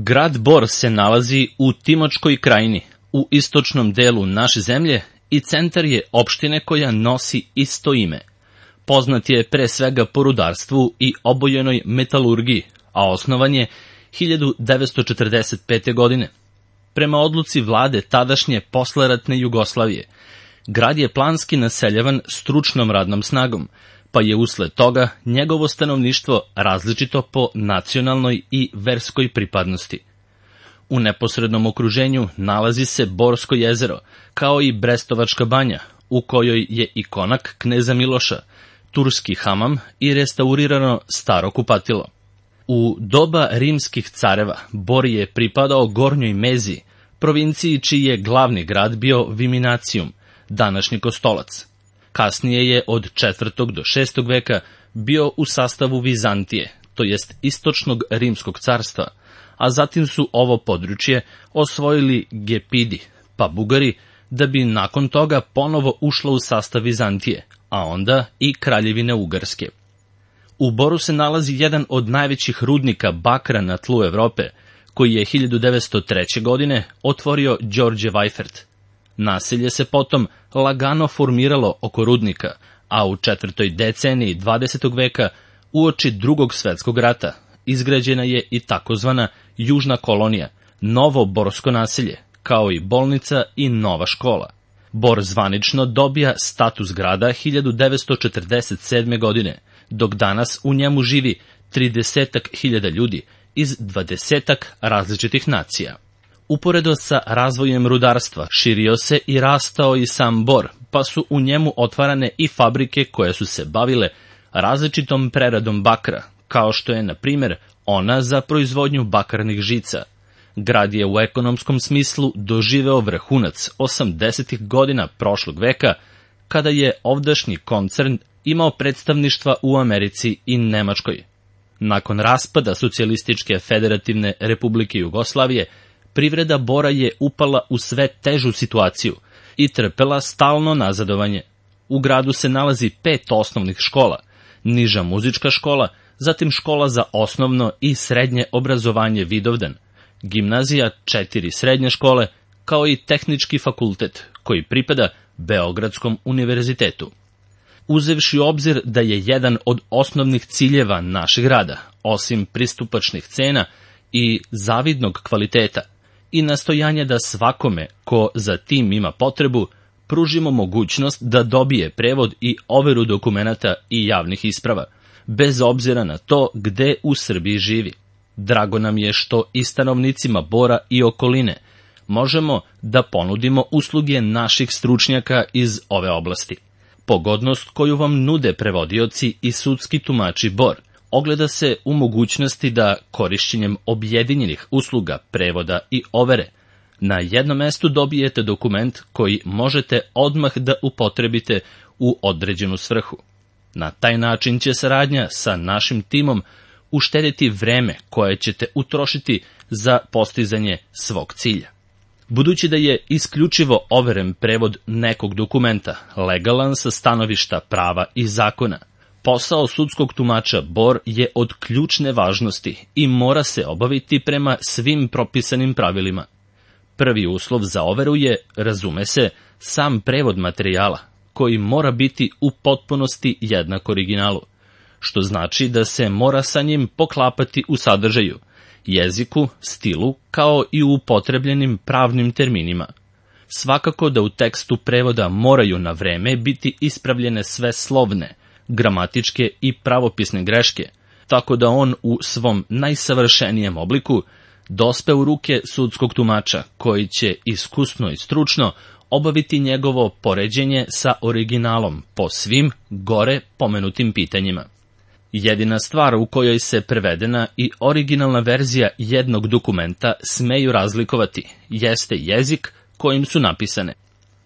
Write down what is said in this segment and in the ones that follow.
Grad Bor se nalazi u Timočkoj krajini, u istočnom delu naše zemlje i centar je opštine koja nosi isto ime. Poznat je pre svega po rudarstvu i obojenoj metalurgiji, a osnovan je 1945. godine. Prema odluci vlade tadašnje posleratne Jugoslavije, grad je planski naseljavan stručnom radnom snagom, pa je usled toga njegovo stanovništvo različito po nacionalnoj i verskoj pripadnosti. U neposrednom okruženju nalazi se Borsko jezero, kao i Brestovačka banja, u kojoj je i konak kneza Miloša, turski hamam i restaurirano staro kupatilo. U doba rimskih careva Bor je pripadao Gornjoj Meziji, provinciji čiji je glavni grad bio Viminacijum, današnji Kostolac. Kasnije je od 4. do 6. veka bio u sastavu Vizantije, to jest istočnog rimskog carstva, a zatim su ovo područje osvojili Gepidi, pa Bugari, da bi nakon toga ponovo ušlo u sastav Vizantije, a onda i Kraljevine Ugarske. U Boru se nalazi jedan od najvećih rudnika bakra na tlu Evrope, koji je 1903. godine otvorio Đorđe Vajfert. Naselje se potom lagano formiralo oko rudnika, a u 4. deceniji 20. veka, uoči Drugog svetskog rata, izgrađena je i takozvana Južna kolonija, novo borsko naselje, kao i bolnica i nova škola. Bor zvanično dobija status grada 1947. godine, dok danas u njemu živi 30.000 ljudi iz 20 različitih nacija. Uporedo sa razvojem rudarstva širio se i rastao i sam Bor, pa su u njemu otvarane i fabrike koje su se bavile različitom preradom bakra, kao što je, na primjer, ona za proizvodnju bakarnih žica. Grad je u ekonomskom smislu doživeo vrhunac 80. godina prošlog veka, kada je ovdašnji koncern imao predstavništva u Americi i Nemačkoj. Nakon raspada Socijalističke federativne republike Jugoslavije, privreda Bora je upala u sve težu situaciju i trpela stalno nazadovanje. U gradu se nalazi 5 osnovnih škola, niža muzička škola, zatim škola za osnovno i srednje obrazovanje Vidovdan, gimnazija, 4 srednje škole, kao i tehnički fakultet, koji pripada Beogradskom univerzitetu. Uzevši u obzir da je jedan od osnovnih ciljeva našeg rada, osim pristupačnih cena i zavidnog kvaliteta, i nastojanja da svakome ko za tim ima potrebu, pružimo mogućnost da dobije prevod i overu dokumenata i javnih isprava, bez obzira na to gde u Srbiji živi. Drago nam je što i stanovnicima Bora i okoline možemo da ponudimo usluge naših stručnjaka iz ove oblasti. Pogodnost koju vam nude prevodioci i sudski tumači Bor ogleda se u mogućnosti da korišćenjem objedinjenih usluga prevoda i overe na jednom mestu dobijete dokument koji možete odmah da upotrebite u određenu svrhu. Na taj način će saradnja sa našim timom uštediti vreme koje ćete utrošiti za postizanje svog cilja. Budući da je isključivo overen prevod nekog dokumenta legalan sa stanovišta prava i zakona, posao sudskog tumača Bor je od ključne važnosti i mora se obaviti prema svim propisanim pravilima. Prvi uslov za overu je, razume se, sam prevod materijala, koji mora biti u potpunosti jednak originalu, što znači da se mora sa njim poklapati u sadržaju, jeziku, stilu, kao i u upotrebljenim pravnim terminima. Svakako da u tekstu prevoda moraju na vreme biti ispravljene sve slovne, gramatičke i pravopisne greške, tako da on u svom najsavršenijem obliku dospe u ruke sudskog tumača, koji će iskusno i stručno obaviti njegovo poređenje sa originalom po svim gore pomenutim pitanjima. Jedina stvar u kojoj se prevedena i originalna verzija jednog dokumenta smeju razlikovati jeste jezik kojim su napisane.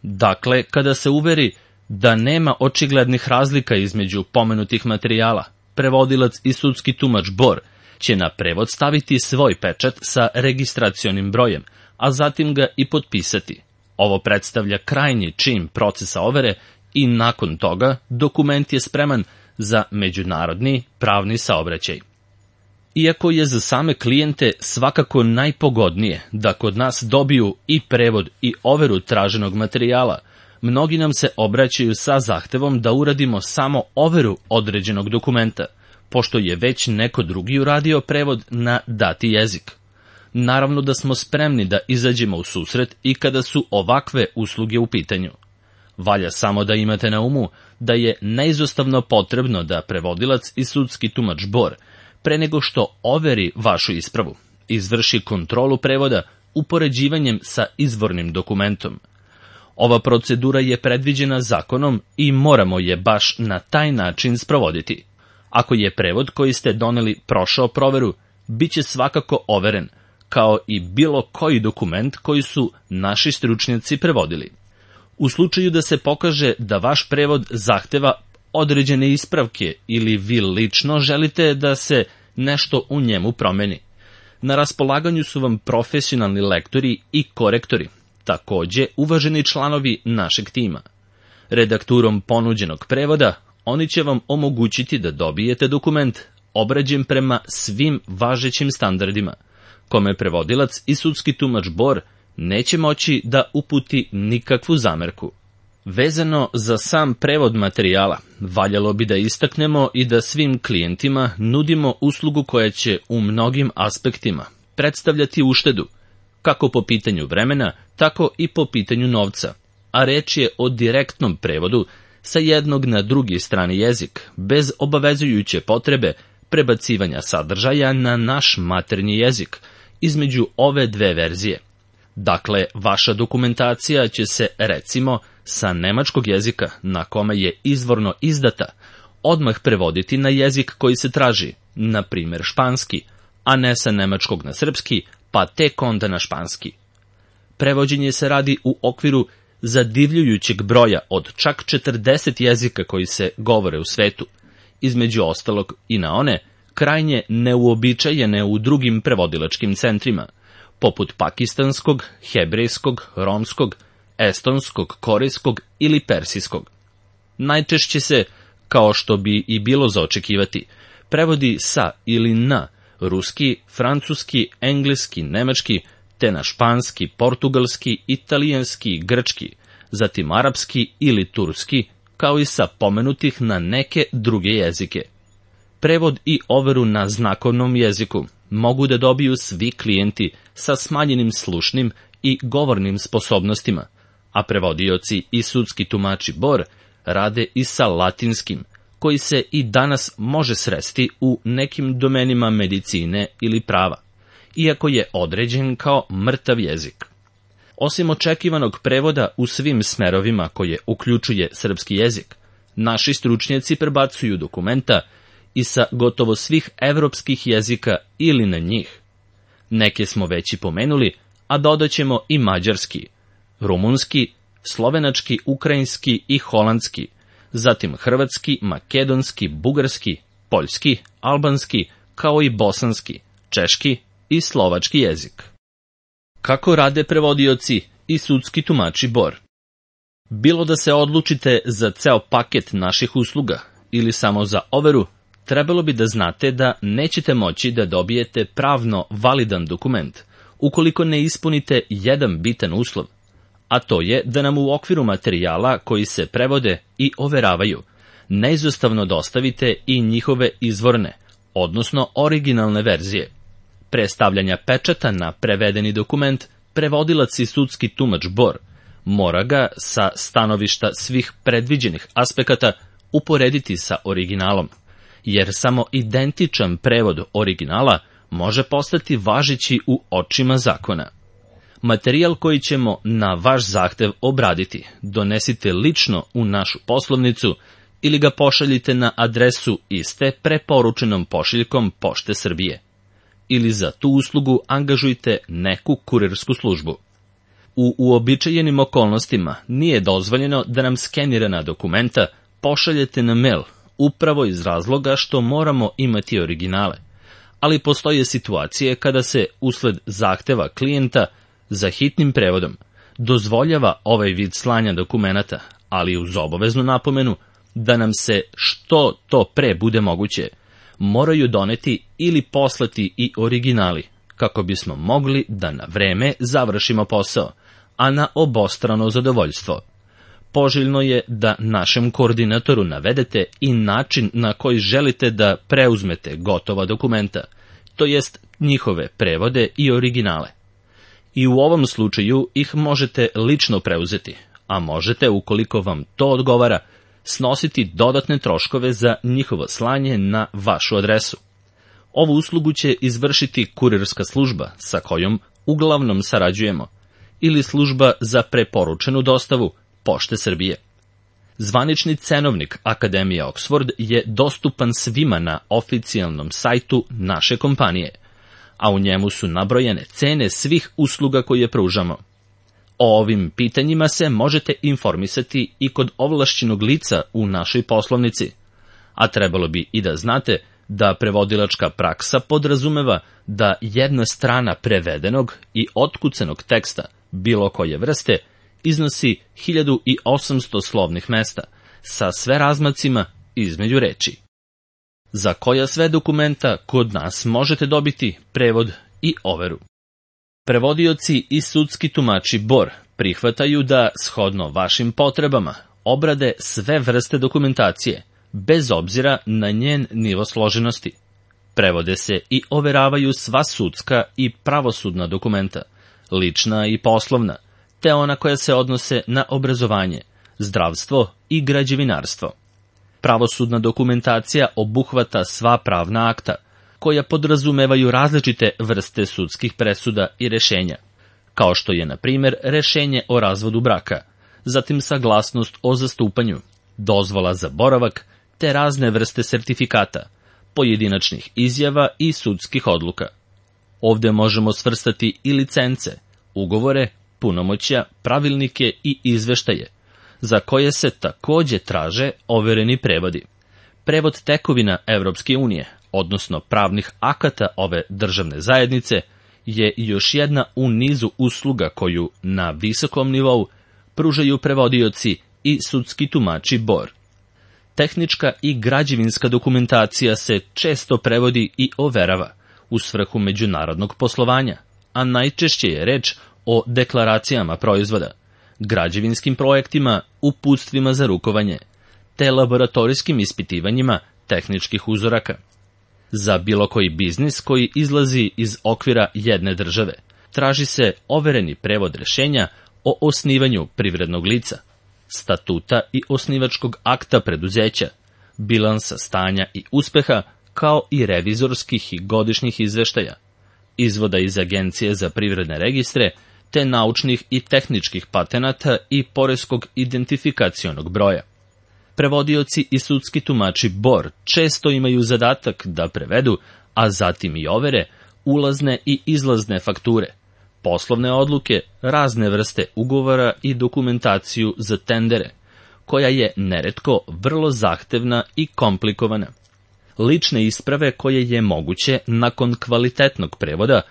Dakle, kada se uveri da nema očiglednih razlika između pomenutih materijala, prevodilac i sudski tumač Bor će na prevod staviti svoj pečat sa registracionim brojem, a zatim ga i potpisati. Ovo predstavlja krajnji čin procesa overe i nakon toga dokument je spreman za međunarodni pravni saobraćaj. Iako je za same klijente svakako najpogodnije da kod nas dobiju i prevod i overu traženog materijala, mnogi nam se obraćaju sa zahtevom da uradimo samo overu određenog dokumenta, pošto je već neko drugi uradio prevod na dati jezik. Naravno da smo spremni da izađemo u susret i kada su ovakve usluge u pitanju. Valja samo da imate na umu da je neizostavno potrebno da prevodilac i sudski tumač Bor, pre nego što overi vašu ispravu, izvrši kontrolu prevoda upoređivanjem sa izvornim dokumentom. Ova procedura je predviđena zakonom i moramo je baš na taj način sprovoditi. Ako je prevod koji ste doneli prošao proveru, bit će svakako overen, kao i bilo koji dokument koji su naši stručnjaci prevodili. U slučaju da se pokaže da vaš prevod zahteva određene ispravke ili vi lično želite da se nešto u njemu promeni, na raspolaganju su vam profesionalni lektori i korektori, takođe uvaženi članovi našeg tima. Redakturom ponuđenog prevoda oni će vam omogućiti da dobijete dokument obrađen prema svim važećim standardima, kome prevodilac i sudski tumač Bor neće moći da uputi nikakvu zamerku. Vezano za sam prevod materijala, valjalo bi da istaknemo i da svim klijentima nudimo uslugu koja će u mnogim aspektima predstavljati uštedu, kako po pitanju vremena, tako i po pitanju novca, a reč je o direktnom prevodu sa jednog na drugi strani jezik, bez obavezujuće potrebe prebacivanja sadržaja na naš maternji jezik između ove dve verzije. Dakle, vaša dokumentacija će se, recimo, sa nemačkog jezika, na kome je izvorno izdata, odmah prevoditi na jezik koji se traži, na primjer španski, a ne sa nemačkog na srpski, pa tek onda na španski. Prevođenje se radi u okviru zadivljujućeg broja od čak 40 jezika koji se govore u svetu, između ostalog i na one krajnje neuobičajene u drugim prevodilačkim centrima, poput pakistanskog, hebrejskog, romskog, estonskog, korejskog ili persijskog. Najčešće se, kao što bi i bilo za očekivati, prevodi sa ili na ruski, francuski, engleski, nemački, te na španski, portugalski, italijanski, grčki, zatim arapski ili turski, kao i sa pomenutih na neke druge jezike. Prevod i overu na znakovnom jeziku mogu da dobiju svi klijenti sa smanjenim slušnim i govornim sposobnostima, a prevodioci i sudski tumači Bor rade i sa latinskim, koji se i danas može sresti u nekim domenima medicine ili prava, iako je određen kao mrtav jezik. Osim očekivanog prevoda u svim smerovima koje uključuje srpski jezik, naši stručnjaci prebacuju dokumenta i sa gotovo svih evropskih jezika ili na njih. Neke smo već i pomenuli, a dodaćemo i mađarski, rumunski, slovenački, ukrajinski i holandski, zatim hrvatski, makedonski, bugarski, poljski, albanski, kao i bosanski, češki i slovački jezik. Kako rade prevodioci i sudski tumači Bor? Bilo da se odlučite za ceo paket naših usluga ili samo za overu, trebalo bi da znate da nećete moći da dobijete pravno validan dokument ukoliko ne ispunite jedan bitan uslov, a to je da nam u okviru materijala koji se prevode i overavaju neizostavno dostavite i njihove izvorne, odnosno originalne verzije. Pre stavljanja pečata na prevedeni dokument, prevodilac i sudski tumač Bor mora ga sa stanovišta svih predviđenih aspekata uporediti sa originalom, jer samo identičan prevod originala može postati važeći u očima zakona. Materijal koji ćemo na vaš zahtev obraditi donesite lično u našu poslovnicu ili ga pošaljite na adresu iste preporučenom pošiljkom Pošte Srbije. Ili za tu uslugu angažujte neku kurirsku službu. U uobičajenim okolnostima nije dozvoljeno da nam skenirana dokumenta pošaljete na mail, upravo iz razloga što moramo imati originale, ali postoje situacije kada se, usled zahteva klijenta za hitnim prevodom, dozvoljava ovaj vid slanja dokumenata, ali uz obaveznu napomenu da nam se što to pre bude moguće, moraju doneti ili poslati i originali, kako bismo mogli da na vreme završimo posao, a na obostrano zadovoljstvo. Poželjno je da našem koordinatoru navedete i način na koji želite da preuzmete gotova dokumenta, to jest njihove prevode i originale. I u ovom slučaju ih možete lično preuzeti, a možete, ukoliko vam to odgovara, snositi dodatne troškove za njihovo slanje na vašu adresu. Ovu uslugu će izvršiti kurirska služba sa kojom uglavnom sarađujemo, ili služba za preporučenu dostavu Pošte Srbije. Zvanični cenovnik Akademije Oxford je dostupan svima na oficijalnom sajtu naše kompanije, a u njemu su nabrojene cene svih usluga koje pružamo. O ovim pitanjima se možete informisati i kod ovlašćenog lica u našoj poslovnici, a trebalo bi i da znate da prevodilačka praksa podrazumeva da jedna strana prevedenog i otkucanog teksta bilo koje vrste iznosi 1800 slovnih mesta, sa sve razmacima između reči. Za koja sve dokumenta kod nas možete dobiti prevod i overu. Prevodioci i sudski tumači BOR prihvataju da, shodno vašim potrebama, obrade sve vrste dokumentacije, bez obzira na njen nivo složenosti. Prevode se i overavaju sva sudska i pravosudna dokumenta, lična i poslovna, te ona koja se odnose na obrazovanje, zdravstvo i građevinarstvo. Pravosudna dokumentacija obuhvata sva pravna akta, koja podrazumevaju različite vrste sudskih presuda i rešenja, kao što je, na primjer, rešenje o razvodu braka, zatim saglasnost o zastupanju, dozvola za boravak, te razne vrste sertifikata, pojedinačnih izjava i sudskih odluka. Ovde možemo svrstati i licence, ugovore, punomoćja, pravilnike i izveštaje, za koje se takođe traže overeni prevodi. Prevod tekovina Evropske unije, odnosno pravnih akata ove državne zajednice, je još jedna u nizu usluga koju na visokom nivou pružaju prevodioci i sudski tumači BOR. Tehnička i građevinska dokumentacija se često prevodi i overava u svrhu međunarodnog poslovanja, a najčešće je reč o deklaracijama proizvoda, građevinskim projektima, uputstvima za rukovanje, te laboratorijskim ispitivanjima tehničkih uzoraka. Za bilo koji biznis koji izlazi iz okvira jedne države, traži se overeni prevod rešenja o osnivanju privrednog lica, statuta i osnivačkog akta preduzeća, bilansa stanja i uspeha, kao i revizorskih i godišnjih izveštaja, izvoda iz Agencije za privredne registre, te naučnih i tehničkih patenata i poreskog identifikacionog broja. Prevodioci i sudski tumači BOR često imaju zadatak da prevedu, a zatim i overe, ulazne i izlazne fakture, poslovne odluke, razne vrste ugovora i dokumentaciju za tendere, koja je neretko vrlo zahtevna i komplikovana. Lične isprave koje je moguće, nakon kvalitetnog prevoda,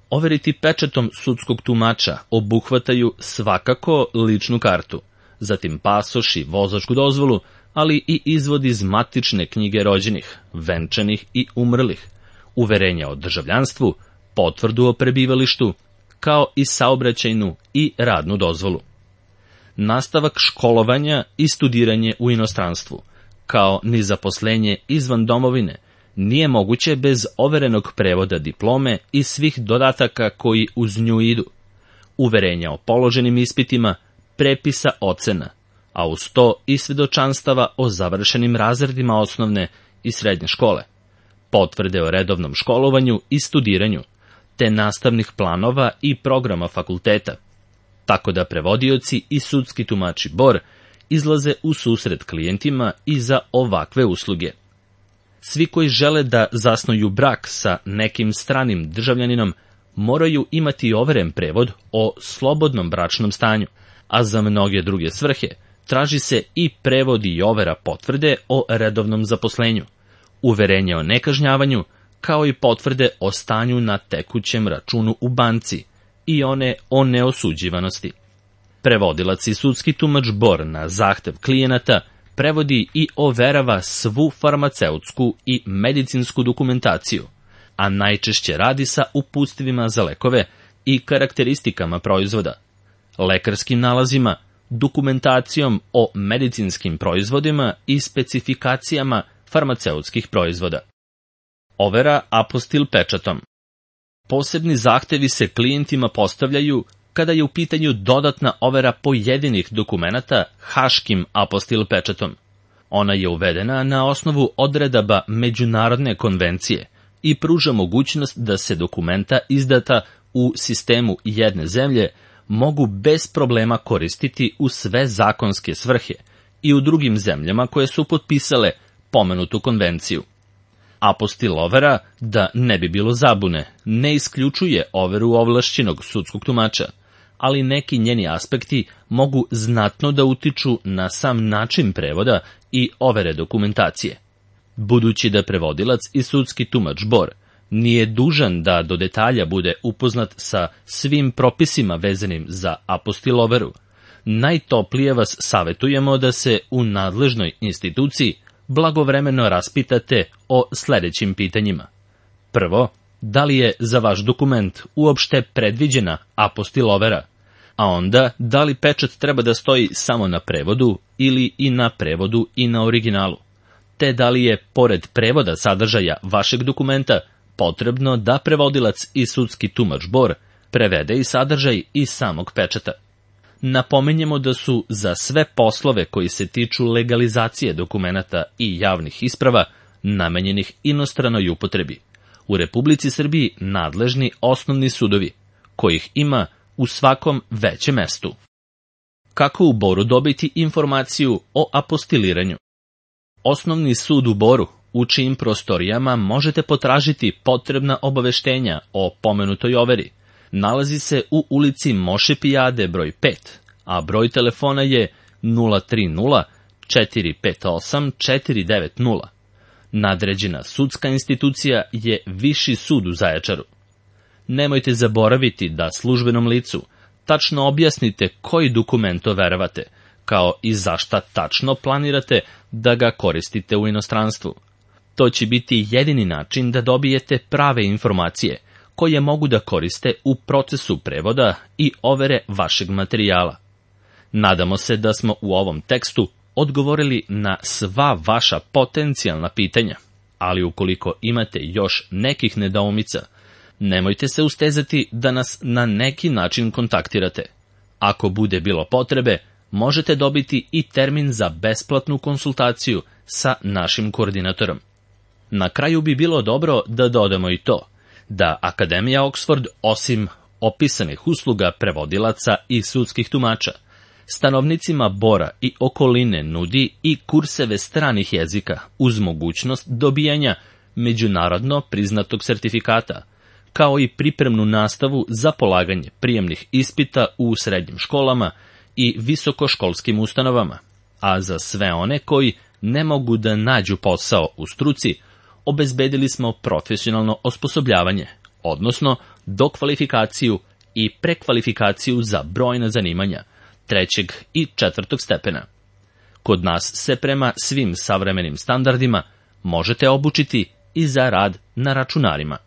overiti pečatom sudskog tumača obuhvataju svakako ličnu kartu, zatim pasoš i vozačku dozvolu, ali i izvod iz matične knjige rođenih, venčanih i umrlih, uverenja o državljanstvu, potvrdu o prebivalištu, kao i saobraćajnu i radnu dozvolu. Nastavak školovanja i studiranje u inostranstvu, kao ni zaposlenje izvan domovine, nije moguće bez overenog prevoda diplome i svih dodataka koji uz nju idu, uverenja o položenim ispitima, prepisa ocena, a uz to i svedočanstava o završenim razredima osnovne i srednje škole, potvrde o redovnom školovanju i studiranju, te nastavnih planova i programa fakulteta, tako da prevodioci i sudski tumači BOR izlaze u susret klijentima i za ovakve usluge. Svi koji žele da zasnuju brak sa nekim stranim državljaninom moraju imati overen prevod o slobodnom bračnom stanju, a za mnoge druge svrhe traži se i prevod i overa potvrde o redovnom zaposlenju, uverenje o nekažnjavanju, kao i potvrde o stanju na tekućem računu u banci i one o neosuđivanosti. Prevodilac i sudski tumač BOR na zahtev klijenata prevodi i overava svu farmaceutsku i medicinsku dokumentaciju, a najčešće radi sa uputstvima za lekove i karakteristikama proizvoda, lekarskim nalazima, dokumentacijom o medicinskim proizvodima i specifikacijama farmaceutskih proizvoda. Overa apostil pečatom. Posebni zahtevi se klijentima postavljaju kada je u pitanju dodatna overa pojedinih dokumenata haškim apostil pečatom. Ona je uvedena na osnovu odredaba Međunarodne konvencije i pruža mogućnost da se dokumenta izdata u sistemu jedne zemlje mogu bez problema koristiti u sve zakonske svrhe i u drugim zemljama koje su potpisale pomenutu konvenciju. Apostil overa, da ne bi bilo zabune, ne isključuje overu ovlašćenog sudskog tumača, ali neki njeni aspekti mogu znatno da utiču na sam način prevoda i overe dokumentacije. Budući da prevodilac i sudski tumač Bor nije dužan da do detalja bude upoznat sa svim propisima vezanim za apostil overu, najtoplije vas savetujemo da se u nadležnoj instituciji blagovremeno raspitate o sledećim pitanjima. Prvo, da li je za vaš dokument uopšte predviđena apostil overa, a onda da li pečat treba da stoji samo na prevodu ili i na prevodu i na originalu, te da li je, pored prevoda sadržaja vašeg dokumenta, potrebno da prevodilac i sudski tumač Bor prevede i sadržaj i samog pečata. Napominjemo da su za sve poslove koji se tiču legalizacije dokumenata i javnih isprava namenjenih inostranoj upotrebi u Republici Srbiji nadležni osnovni sudovi, kojih ima u svakom većem mestu. Kako u Boru dobiti informaciju o apostiliranju? Osnovni sud u Boru, u čijim prostorijama možete potražiti potrebna obaveštenja o pomenutoj overi, nalazi se u ulici Moše Pijade broj 5, a broj telefona je 030 458 490. Nadređena sudska institucija je Viši sud u Zaječaru. Nemojte zaboraviti da službenom licu tačno objasnite koji dokument overavate, kao i zašta tačno planirate da ga koristite u inostranstvu. To će biti jedini način da dobijete prave informacije koje mogu da koriste u procesu prevoda i overe vašeg materijala. Nadamo se da smo u ovom tekstu odgovorili na sva vaša potencijalna pitanja, ali ukoliko imate još nekih nedoumica, nemojte se ustezati da nas na neki način kontaktirate. Ako bude bilo potrebe, možete dobiti i termin za besplatnu konsultaciju sa našim koordinatorom. Na kraju bi bilo dobro da dodamo i to, da Akademija Oxford, osim opisanih usluga prevodilaca i sudskih tumača, stanovnicima Bora i okoline nudi i kurseve stranih jezika uz mogućnost dobijanja međunarodno priznatog sertifikata, kao i pripremnu nastavu za polaganje prijemnih ispita u srednjim školama i visokoškolskim ustanovama, a za sve one koji ne mogu da nađu posao u struci, obezbedili smo profesionalno osposobljavanje, odnosno dokvalifikaciju i prekvalifikaciju za brojna zanimanja 3. i 4. stepena. Kod nas se prema svim savremenim standardima možete obučiti i za rad na računarima.